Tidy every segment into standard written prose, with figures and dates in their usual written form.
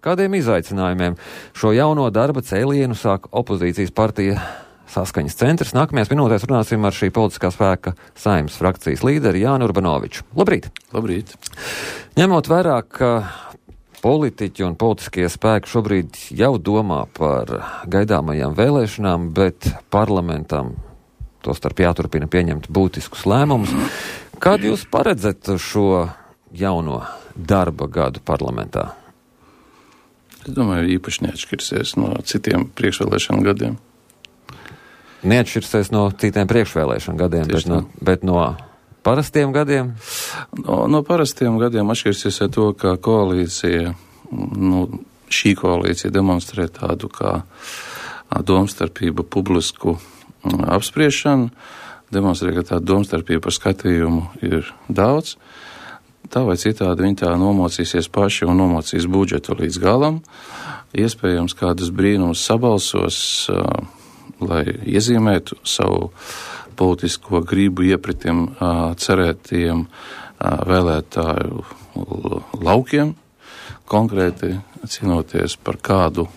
kādiem izaicinājumiem šo jauno darba cēlienu sāk opozīcijas partija Saskaņas centrs. Nākamajās minūtēs runāsim ar šī politiskā spēka Saeimas frakcijas līderi Jāni Urbanoviču. Labrīt! Labrīt! Ņemot vērā, ka politiķi un politiskie spēki šobrīd jau domā par gaidāmajām vēlēšanām, bet parlamentam tostarp jāturpina pieņemt būtiskus lēmumus. Kad jūs paredzat šo jauno darba gadu parlamentā? Es domāju, īpaši neatšķirsies no citiem priekšvēlēšanu gadiem. Neatšķirsies no citiem priekšvēlēšanu gadiem, bet no parastiem gadiem? No parastiem gadiem atšķirsies ar to, ka koalīcija, šī koalīcija demonstrē tādu kā domstarpību publisku apspriešanu, demonstrē, ka tāda domstarpība par skatījumu ir daudz. Tā vai citādi viņi tā nomocīsies paši un nomocīs budžetu līdz galam. Iespējams, kādus brīnumus sabalsos, lai iezīmētu savu politisko gribu iepratim cerētiem vēlētāju laukiem, konkrēti cīnoties par kādu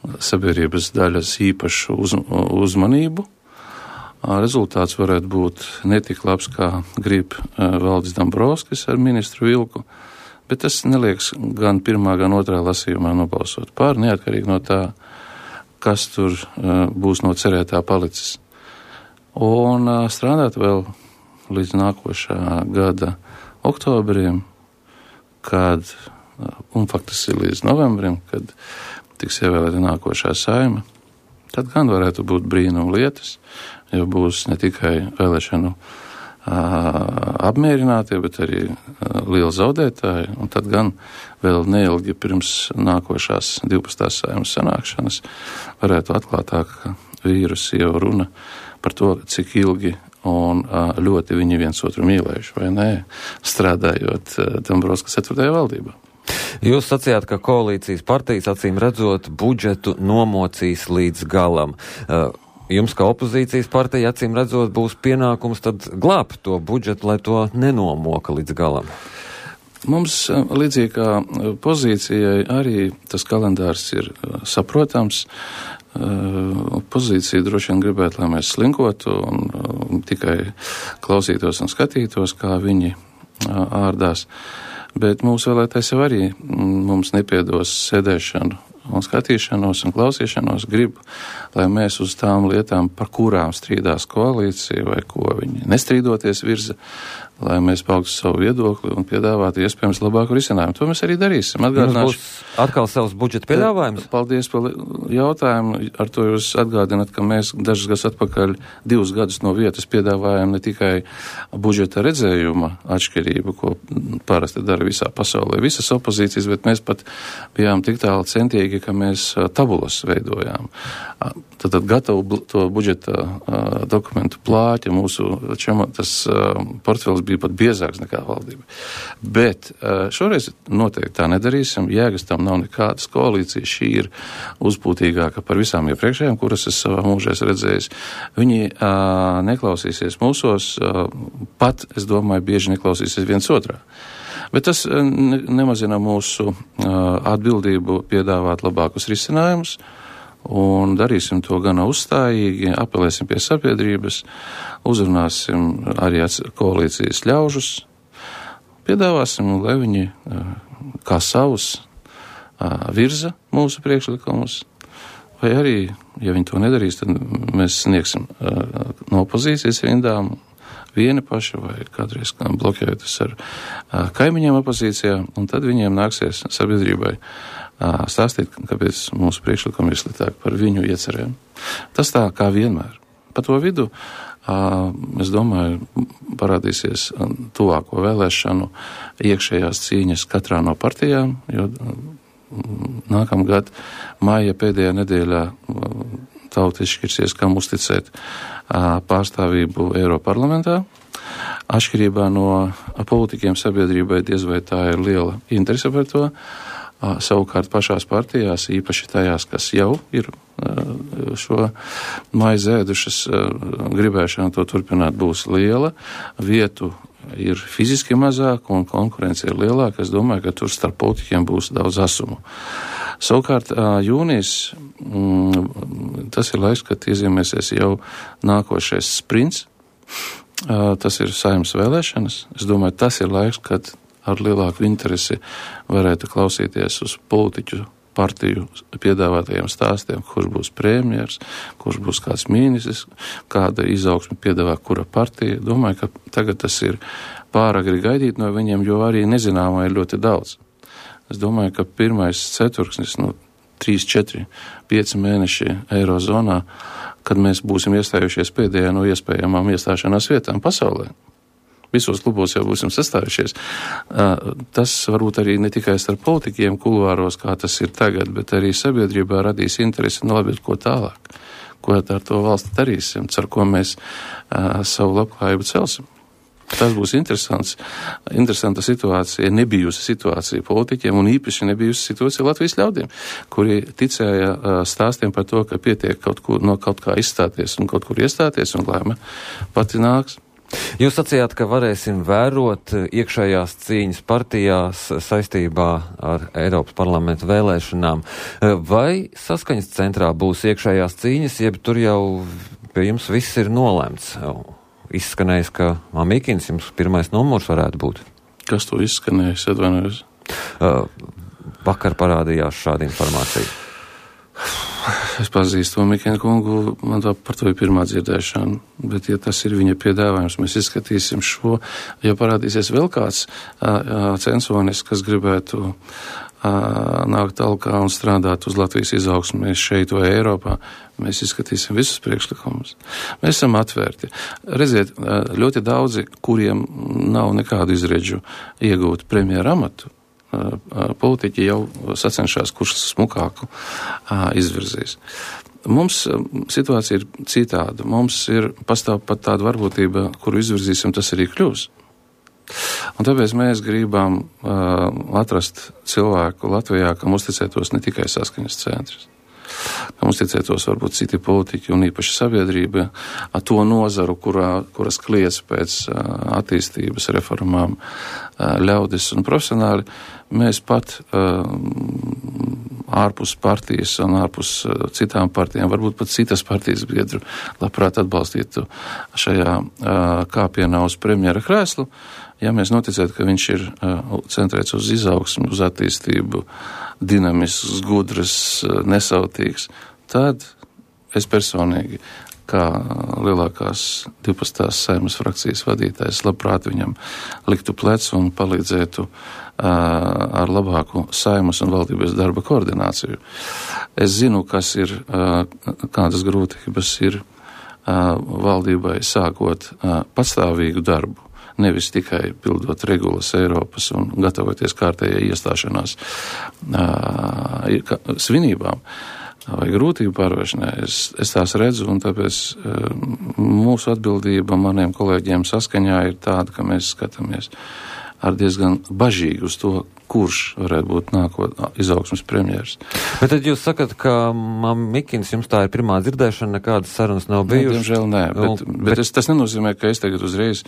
sabiedrības daļas īpašu uzmanību. Rezultāts varētu būt netik labs, kā grib Valdis Dombrovskis ar ministru Vilku, bet tas nelieks gan pirmā, gan otrā lasījumā nobalsot par, neatkarīgi no tā, kas tur būs no cerētā palicis. Un strādāt vēl līdz nākošā gada oktobrim, un faktiski līdz novembrim, kad tiks ievēlēta nākošā Saeima, tad gan varētu būt brīnuma lietas, jo būs ne tikai vēlēšanu apmierinātie, bet arī lieli zaudētāji, un tad gan vēl neilgi pirms nākošās 12. Saeimas sanākšanas varētu atklātāk vīrusi jau runa par to, cik ilgi un ļoti viņi viens otru mīlējuši, vai nē, strādājot Dombrovskis 4. valdībā. Jūs sacījāt, ka koalīcijas partijas acīm redzot budžetu nomocīs līdz galam. Jums, kā opozīcijas partija, acīm redzot, būs pienākums tad glābt to budžetu, lai to nenomoka līdz galam. Mums, līdzīgi kā pozīcijai, arī tas kalendārs ir saprotams. Pozīcija droši vien gribētu, lai mēs slinkotu un tikai klausītos un skatītos, kā viņi ārdās. Bet mūsu vēlētājs jau arī mums nepiedos sēdēšanu un skatīšanos un klausīšanos, grib, lai mēs uz tām lietām, par kurām strīdās koalīcija vai ko viņi nestrīdoties virza, lai mēs paugtu savu viedokli un piedāvātu iespējams labāku risinājumu. To mēs arī darīsim. Jums būs atkal savs budžeta piedāvājums? Paldies par jautājumu. Ar to jūs atgādināt, ka mēs dažus gadus atpakaļ 2 gadus no vietas piedāvājam ne tikai budžeta redzējuma atšķirību, ko parasti dara visā pasaulē, visas opozīcijas, bet mēs pat bijām tik tālu centīgi, ka mēs tabulas veidojām. Tad gatavu to budžeta dokumentu plāķi, tas portfels bija pat biezāks nekā valdība. Bet šoreiz noteikti tā nedarīsim, jēgas tam nav nekādas. Koalīcija šī ir uzpūtīgāka par visām iepriekšējām, kuras es savā mūžā esmu redzējis. Viņi neklausīsies mūsos, pat, es domāju, bieži neklausīsies viens otrā. Bet tas nemazina mūsu atbildību piedāvāt labākus risinājumus, un darīsim to gana uzstājīgi, apelēsim pie sabiedrības, uzrunāsim arī koalīcijas ļaužus, piedāvāsim, lai viņi kā savus virza mūsu priekšlikumus, vai arī, ja viņi to nedarīs, tad mēs sniegsim no opozīcijas rindām vieni paši vai kādreiz blokējoties ar kaimiņiem opozīcijā, un tad viņiem nāksies sabiedrībai stāstīt, kāpēc mūsu priekšlikumi ir sliktāk par viņu iecerēm. Tas tā kā vienmēr. Pa to vidu, es domāju, parādīsies tuvāko vēlēšanu iekšējās cīņas katrā no partijām, jo nākamgad māja pēdējā nedēļā tauta izšķirsies, kam uzticēt pārstāvību Eiroparlamentā. Atšķirībā no politiķiem sabiedrībai diez vai tā ir liela interese par to. Savukārt pašās partijās, īpaši tajās, kas jau ir šo maizi ēdušas, gribēšana to turpināt būs liela. Vietu ir fiziski mazāk un konkurence ir lielāka. Es domāju, ka tur starp politiķiem būs daudz asumu. Savukārt jūnijas, tas ir laiks, kad iezīmēsies jau nākošais sprints. Tas ir Saeimas vēlēšanas. Es domāju, tas ir laiks, kad ar lielāku interesi varētu klausīties uz politiķu partiju piedāvātajiem stāstiem, kurš būs premjers, kurš būs kāds ministrs, kāda izaugsme piedāvā kura partija. Domāju, ka tagad tas ir pāragri gaidīt no viņiem, jo arī nezināmā ir ļoti daudz. Es domāju, ka pirmais ceturksnis, 3, 4, 5 mēneši Eirozonā, kad mēs būsim iestājušies pēdējā no iespējamām iestāšanās vietām pasaulē. Visos klubos jau būsim sastājušies. Tas varbūt arī ne tikai starp politiķiem kuluāros, kā tas ir tagad, bet arī sabiedrībā radīs interesi, labi, ko tālāk. Ko ar to valsti darīsim, ar ko mēs savu labklājību celsim. Tas būs interesanta situācija, nebijusi situācija politiķiem un īpaši nebijusi situācija Latvijas ļaudīm, kuri ticēja stāstiem par to, ka pietiek no kaut kā izstāties un kaut kur iestāties un laime pati nāks. Jūs sacījāt, ka varēsim vērot iekšējās cīņas partijās saistībā ar Eiropas parlamenta vēlēšanām. Vai saskaņas centrā būs iekšējās cīņas, jeb tur jau pie jums viss ir nolēmts? Izskanējis, ka Mamikins jums pirmais numurs varētu būt. Kas to izskanējis, atvainojos? Vakar parādījās šāda informācija. Es pazīstu Mikēnu kungu, man par to ir pirmā dzirdēšana, bet ja tas ir viņa piedāvājums, mēs izskatīsim šo, ja parādīsies vēl kāds censonis, kas gribētu nākt talkā un strādāt uz Latvijas izaugsmē šeit vai Eiropā, mēs izskatīsim visus priekšlikumus. Mēs esam atvērti. Redziet, ļoti daudzi, kuriem nav nekādu izredžu iegūt premjera amatu, politiķi jau sacenšās, kurš smukāku izvirzīs. Mums situācija ir citāda. Mums pastāv pat tāda varbūtība, kuru izvirzīsim, tas arī kļūs. Un tāpēc mēs gribam atrast cilvēku Latvijā, kam uzticētos ne tikai saskaņas centrs, kam uzticētos varbūt citi politiķi un īpaši sabiedrība, to nozaru, kuras kliedz pēc attīstības reformām ļaudis un profesionāli. Mēs pat ārpus partijas un ārpus citām partijām, varbūt pat citas partijas biedru, labprāt atbalstītu šajā kāpienā uz premjera krēslu, ja mēs noticētu, ka viņš ir centrēts uz izaugsmu, uz attīstību, dinamisks, gudrs, nesautīgs, tad es personīgi, kā lielākās 12. Saeimas frakcijas vadītājs, labprāt viņam liktu plecu un palīdzētu ar labāku Saeimas un valdības darba koordināciju. Es zinu, kādas grūtības ir valdībai sākot pastāvīgu darbu, nevis tikai pildot regulas Eiropas un gatavoties kārtējai iestāšanās svinībām vai grūtību pārvarēšanai. Es tās redzu, un tāpēc mūsu atbildība maniem kolēģiem saskaņā ir tāda, ka mēs skatāmies ar diezgan bažīgi uz to, kurš varētu būt izaugsmes premjers. Bet tad jūs sakat, ka Mamikins jums tā ir pirmā dzirdēšana, nekādas sarunas nav bijušas? Diemžēl nē, bet tas nenozīmē, ka es tagad uzreiz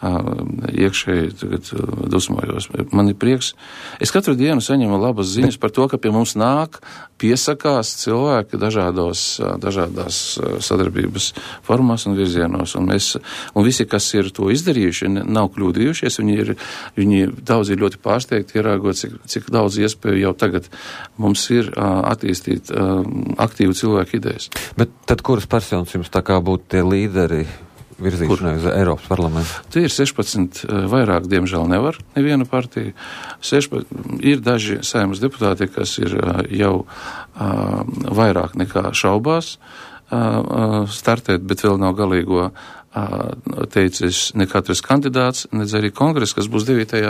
iekšēji dusmojos. Man ir prieks. Es katru dienu saņemu labas ziņas par to, ka pie mums nāk, piesakās cilvēki dažādās sadarbības formās un virzienos. Un visi, kas ir to izdarījuši, nav kļūdījušies, viņi daudz ir ļoti pārsteigti, ierāgot, cik daudz iespēju jau tagad mums ir attīstīt aktīvu cilvēku idejas. Bet tad kuras personas jums tā kā būtu tie līderi virzīšanai uz Eiropas parlamentu? Tie ir 16, vairāk, diemžēl, nevar neviena partija. Ir daži Saeimas deputāti, kas ir jau vairāk nekā šaubās startēt, bet vēl nav galīgo teicis ne katrs kandidāts, nedz arī kongress, kas būs 9.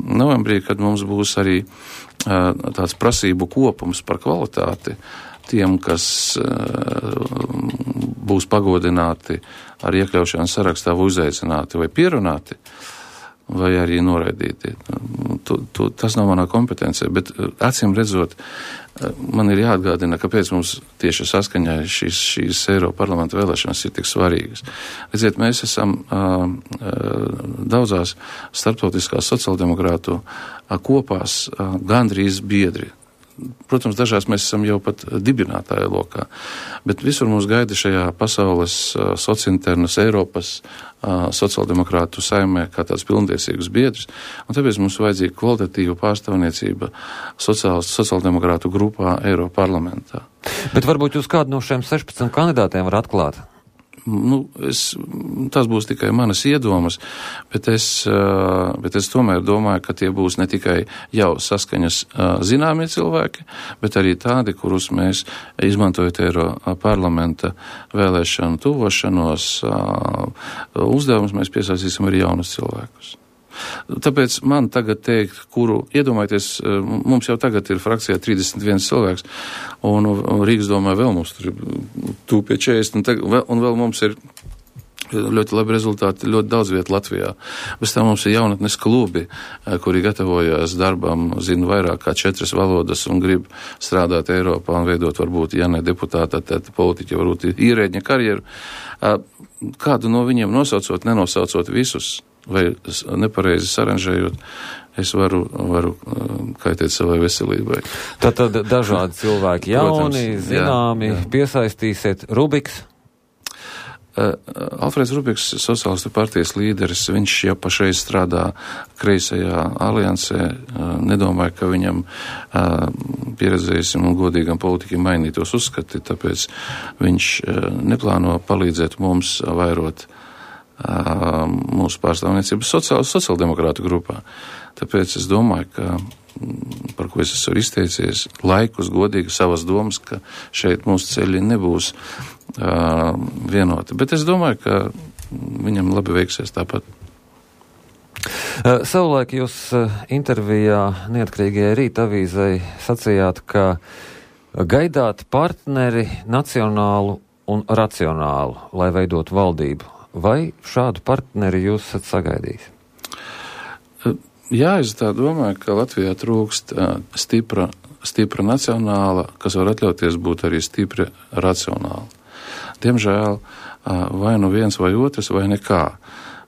novembrī, kad mums būs arī tāds prasību kopums par kvalitāti tiem, kas būs pagodināti ar iekļaušanas sarakstā vai uzaicināti vai pierunāti. vai arī noraidīti. Tas nav manā kompetencija, bet acīm redzot, man ir jāatgādina, kāpēc mums tieši saskaņā šīs Eiroparlamenta vēlēšanas ir tik svarīgas. Redziet, mēs esam daudzās starptautiskās sociāldemokrātu kopās gandrīz biedri. Protams, dažās mēs esam jau pat dibinātāja lokā, bet visur mūs gaida šajā pasaules sociinternas Eiropas sociāldemokrātu saimē kā tāds pilntiesīgus biedrs, un tāpēc mums vajadzīga kvalitatīva pārstāvniecība sociāldemokrātu grupā Eiroparlamentā. Bet varbūt jūs kādu no šiem 16 kandidātiem var atklāt? Tas būs tikai manas iedomas, bet es tomēr domāju, ka tie būs ne tikai jau saskaņas zināmie cilvēki, bet arī tādi, kurus mēs, izmantojot Eiroparlamenta vēlēšanu tuvošanos, uzdevumus mēs piesaistīsim arī jaunus cilvēkus. Tāpēc man tagad teikt, iedomājieties, mums jau tagad ir frakcijā 31 cilvēks, un Rīgas domā vēl mums tur tūp pie 40, un vēl mums ir ļoti labi rezultāti, ļoti daudz vietu Latvijā. Bez tā mums ir jaunatnes klubi, kuri gatavojas darbam, zina vairāk kā 4 valodas un grib strādāt Eiropā un veidot varbūt, ja ne deputāta, tad politiķi, varbūt ierēģņa karjeru. Kādu no viņiem nosaucot, nenosaucot visus, vai nepareizi saranžējot, es varu kaitēt savai veselībai. Tātad dažādi cilvēki, jauni, zināmi, jā. Piesaistīsiet. Rubiks? Alfrēds Rubiks, Sociālistu partijas līderis, viņš jau pašreiz strādā kreisajā aliansē. Nedomāju, ka viņam pieredzējis un godīgam politiķim mainītos uzskati, tāpēc viņš neplāno palīdzēt mums vairot mūsu pārstāvniecību sociāldemokrātu grupā. Tāpēc es domāju, ka, par ko es esmu izteicies, laikus godīgi savas domas, ka šeit mūsu ceļi nebūs vienoti. Bet es domāju, ka viņam labi veiksies tāpat. Savulaik jūs intervijā Neatkarīgajai Rīta avīzei sacījāt, ka gaidāt partneri nacionālu un racionālu, lai veidot valdību. Vai šādu partneri jūs esat sagaidījis? Jā, es tā domāju, ka Latvijā trūkst stipra nacionāla, kas var atļauties būt arī stipri racionāla. Diemžēl vai nu viens vai otrs vai nekā,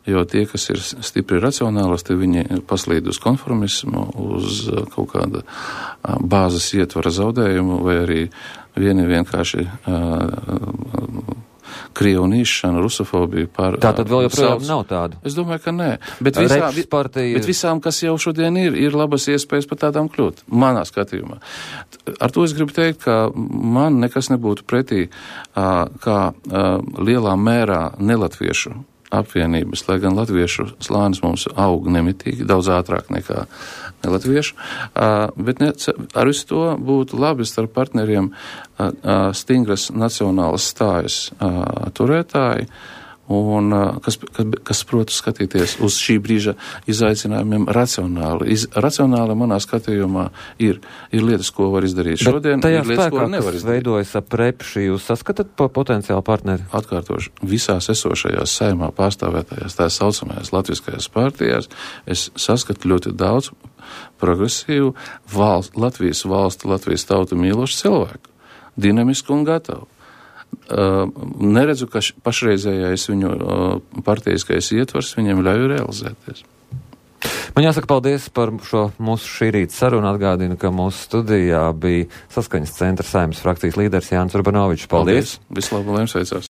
jo tie, kas ir stipri racionālas, te viņi paslīd uz konformismu, uz kaut kāda bāzes ietvara zaudējumu vai arī vienkārši krievnīšana, rusofobija par... Tātad vēl joprojām nav tādu? Es domāju, ka nē. Bet visām, kas jau šodien ir labas iespējas par tādām kļūt, manā skatījumā. Ar to es gribu teikt, ka man nekas nebūtu pretī, kā lielā mērā nelatviešu apvienības, lai gan latviešu slānis mums aug nemitīgi, daudz ātrāk nekā nelatviešu, bet ar visu to būtu labi starp partneriem stingras nacionālas stājas turētāji, un kas protu skatīties uz šī brīža izaicinājumiem racionāli. Racionāli manā skatījumā ir lietas, ko var izdarīt šodien, ir lietas, ko nevar izdarīt. Veidojas ap repši, jūs saskatat potenciālu partneri? Atkārtoši, visās esošajās saimā pārstāvētajās, tā saucamajās latviskajās partijās, es saskatu ļoti daudz progresīvu Latvijas valstu, Latvijas tautu mīlošu cilvēku, dinamisku un gatavu. Neredzu, ka pašreizējais viņu partijiskais ietvars viņam ļauj realizēties. Man jāsaka paldies par šo mūsu šī rīta sarunu. Atgādinu, ka mūsu studijā bija Saskaņas centra Saeimas frakcijas līderis Jānis Urbanovičs. Paldies! Vislabāk, lai jums veicās!